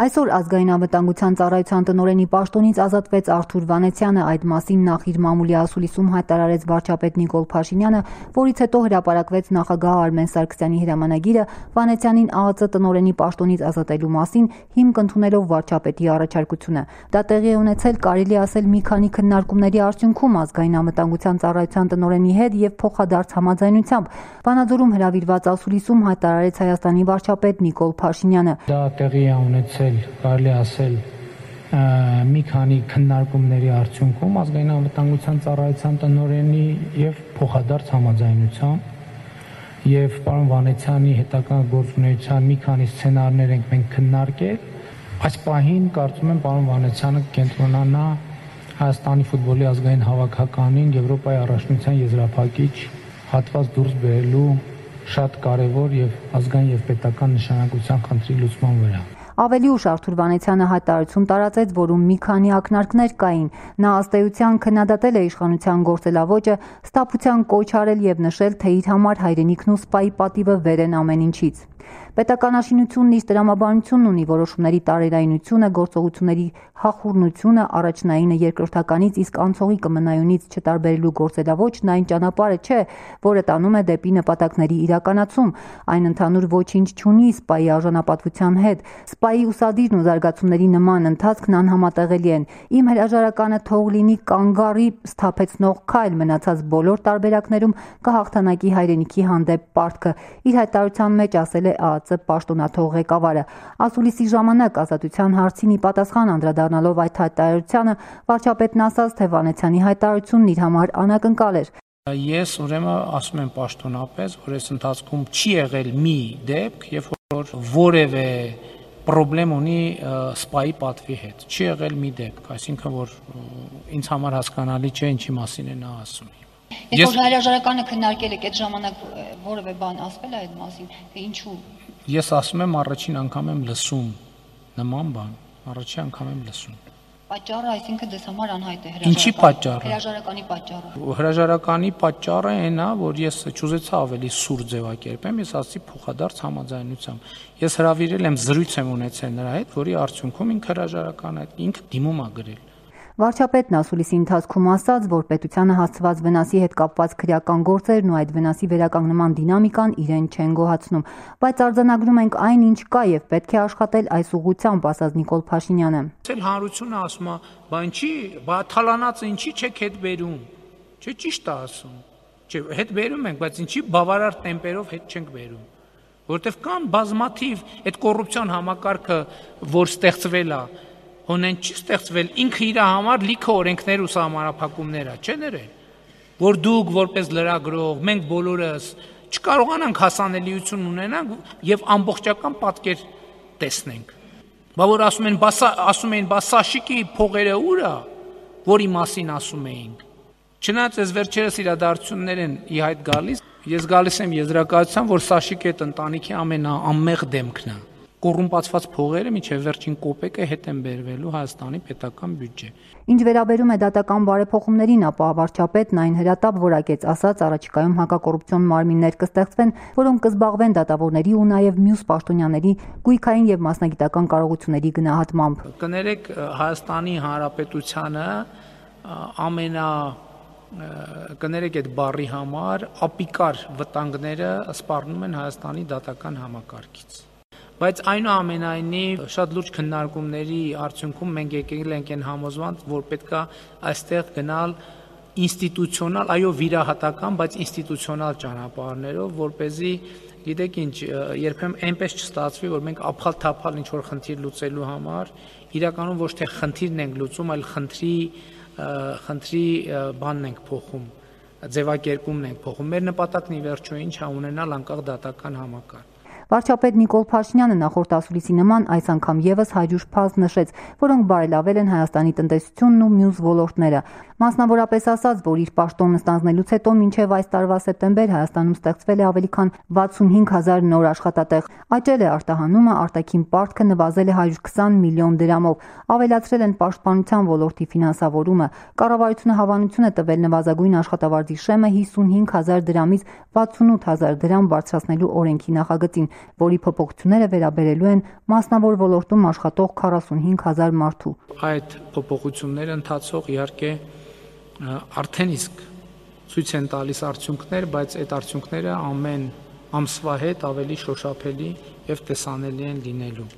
Այսօր ազգային անվտանգության ծառայության տնօրենի պաշտոնից ազատվեց Արթուր Վանեցյանը, այդ մասին նախ իր մամուլի ասուլիսում հայտարարեց վարչապետ Նիկոլ Փաշինյանը, որից հետո հրապարակվեց նախագահ Արմեն Սարգսյանի հրամանագիրը Վանեցյանին ԱԱԾ տնօրենի պաշտոնից ազատելու մասին, հիմք ընդունելով վարչապետի առաջարկությունը։ Դա տեղի է ունեցել, կարելի ասել, մի քանի քննարկումների արդյունքում ազգային անվտանգության ծառայության տնօրենի հետ եւ փոխադարձ համաձայնությամբ։ Վանաձորում հրավիրված ասուլիսում հայտարարեց Հայաստանի վարչապետ Նիկոլ Փաշինյանը։ Դա տեղի է ունեցել, կարելի ասել, մի քանի քննարկումների արդյունքում ազգային անվտանգության ծառայության տնօրենի եւ փոխադարձ համաձայնությամբ եւ պարոն Վանեցյանի հետագա գործունեության մի քանի սցենարներ ենք մենք քննարկել։ Այս պահին կարծում եմ պարոն Վանեցյանը կենտրոնանա Հայաստանի ֆուտբոլի ազգային հավաքականին Եվրոպայի առաջնության եզրափակիչ հատված դուրս բերելու շատ կարևոր եւ ազգային եւ պետական նշանակության խնդրի լուծման վրա։ Ավելի ուշ Արթուր Վանեցյանը հայտարարություն տարածեց, որում մի քանի ակնարկներ կային։ Նա ըստ էության քննադատել է իշխանության գործելավոճը, ստապության կոչ արել եւ նշել, թե իր համար հայրենիքն ու սպայի պատիվը վեր են ամեն ինչից։ Պետականաշինությունն իր տրամաբանությունն ունի, որոշումների տարերայնությունը, գործողությունների հախուռնությունը, առաջնայինը երկրորդականից, իսկ անցողի կմնայունից չտարբերելու գործելավոճն այն ճանապարհը չէ, որը տանում է դեպի նպատակների իրականացում։ Այն ընդհանուր ոչինչ չունի սպայի արժանապատվության հետ։ Սպայի ուսադիրն ու զարգացումների նման ընթացքն անհամատեղելի են։ Իմ հրաժարականը թող լինի կանգառի սթափեցնող քայլ, մնացած բոլոր տարբերակներում կհաղթանակի հայրենիքի հանդեպ պարտքը։ Իր հայտարարության մեջ ասել է ԱԱԾ պաշտոնաթող ղեկավարը։ Ասուլիսի ժամանակ ազատության հարցին ի պատասխան անդրադառնալով այդ հայտարարությանը, վարչապետն ասաց, թե Վանեցյանի հայտարարությունն իր համար անակնկալ էր։ Ես ուրեմն ասում եմ պաշտոնապես, որ այս ընթացքում չի եղել մի դեպք, երբ որ որևէ պրոբլեմ ունի սպայի պատվի հետ։ Չի եղել մի դեպք, այսինքն որ ինձ համար հասկանալի չէ ինչի մասին է նա ասում։ Երբ որ հրաժարականը քննարկել եք, այդ ժամանակ որևէ բան ասվել է այդ մասին, թե ինչու։ Ես ասում եմ առաջին անգամ եմ լսում նման բան, առաջին անգամ եմ լսում։ Պատճառը, այսինքն դες համար անհայտ է Ինչի պատճառը։ Հրաժարականի պատճառը։ Հրաժարականի պատճառը այն է, որ ես չուզեցա ավելի սուր ձևակերպեմ, ես ասացի փոխադարձ համաձայնությամբ։ Ես հրավիրել եմ, զրույց եմ ունեցել նրա հետ, որի արդյունքում ինքը հրաժարականը ինքը դիմում է գրել։ Վարչապետն ասուլիսի ընթացքում ասաց, որ պետությանը հասցված վնասի հետ կապված քրեական գործերն ու այդ վնասի վերականգնման դինամիկան իրեն չեն գոհացնում, բայց արձանագրում ենք այն, ինչ կա եւ պետք է աշխատել այս ուղղությամբ, ասաց Նիկոլ Փաշինյանը։ Ցել հանրությունը ասում է, բա ինչի, բա թալանածը ինչի չեք հետ բերում։ Չէ, ճիշտ է ասում։ Չէ, հետ բերում ենք, բայց ինչի բավարար տեմպերով հետ չենք բերում։ Որտեվ կան բազմաթիվ այդ կոռուպցիոն համակարգը, որ ստեղծվել է, Հոնեն չի ստեղծվել, ինքը իր համար լիքը օրենքներ ու սահմանափակումներ է, չէ՞ ներել, որ դուք որպես լրագրող, մենք բոլորս չկարողանանք հասանելիություն ունենանք եւ ամբողջական պատկեր տեսնենք։ Բա որ ասում էին, բա Սաշիկի փողերը ուր է, որի մասին ասում էինք։ Չնայած այս վերջերս իրադարձություններ են ի հայտ գալիս, ես գալիս եմ եզրակացության, որ Սաշիկի այդ ընտանիքի ամենաանմեղ դեմքն է։ Կոռումպացված փողերը մինչև վերջին կոպեկը հետ են բերվելու Հայաստանի պետական բյուջե։ Ինչ վերաբերում է դատական բարեփոխումներին, ապա վարչապետն այն հրատապ որակեց, ասաց, առաջիկայում հակակոռուպցիոն մարմիններ կստեղծվեն, որոնք կզբաղվեն դատավորների ու նաև մյուս պաշտոնյաների գույքային եւ մասնագիտական կարողությունների գնահատմամբ։ Կներեք, Հայաստանի Հանրապետությանը կներեք այդ բառի համար ապիկար վտանգները սպառնում են Հայաստանի դատական համակարգից։ Բայց այնուամենայնիվ շատ լուրջ քննարկումների արդյունքում մենք եկել ենք այն համոզված, որ պետք է այստեղ գնալ ինստիտուցիոնալ, այո, վիրահատական, բայց ինստիտուցիոնալ ճանապարհներով, որպեսզի, գիտեք ինչ, երբեմն այնպես չստացվի, որ մենք ափալ-թափալ ինչ-որ խնդիր լուծելու համար իրականում ոչ թե խնդիրն ենք լուծում, այլ խնդրի բանն ենք փոխում, ձևակերպումն ենք փոխում։ Մեր նպատակն ի վերջո ինչ է ունենալ անկախ դատական համակարգ։ Վարչապետ Նիկոլ Փաշինյանը նախորդ ասուլիսի նման այս անգամ եւս հայջուր փաստ նշեց, որոնք բարելավել են Հայաստանի տնտեսությունն ու մյուս ոլորտները։ Մասնավորապես ասաց, որ իր պաշտոնը ստանձնելուց հետո մինչև այս տարվա սեպտեմբեր Հայաստանում ստեղծվել է ավելի քան 65,000 նոր աշխատատեղ։ Աճել է արտահանումը, արտաքին պարտքը նվազել է 120 միլիոն դրամով, ավելացրել են պաշտպանության ոլորտի ֆինանսավորումը։ Կառավարությունը հավանություն է տվել նվազագույն աշխատավարձի շեմը 55,000 դրամից 68,000 դրամ բարձրացնելու օրենքի նախագծին։ որի փոփոխությունները վերաբերելու են մասնավոր ոլորտում աշխատող 45,000 մարդու։ Այդ փոփոխությունները ընթացող իհարկե արդեն իսկ ցույց են տալիս արդյունքներ, բայց այդ արդյունքները ամեն ամսվա հետ ավելի շոշափելի եւ տեսանելի են լինելու։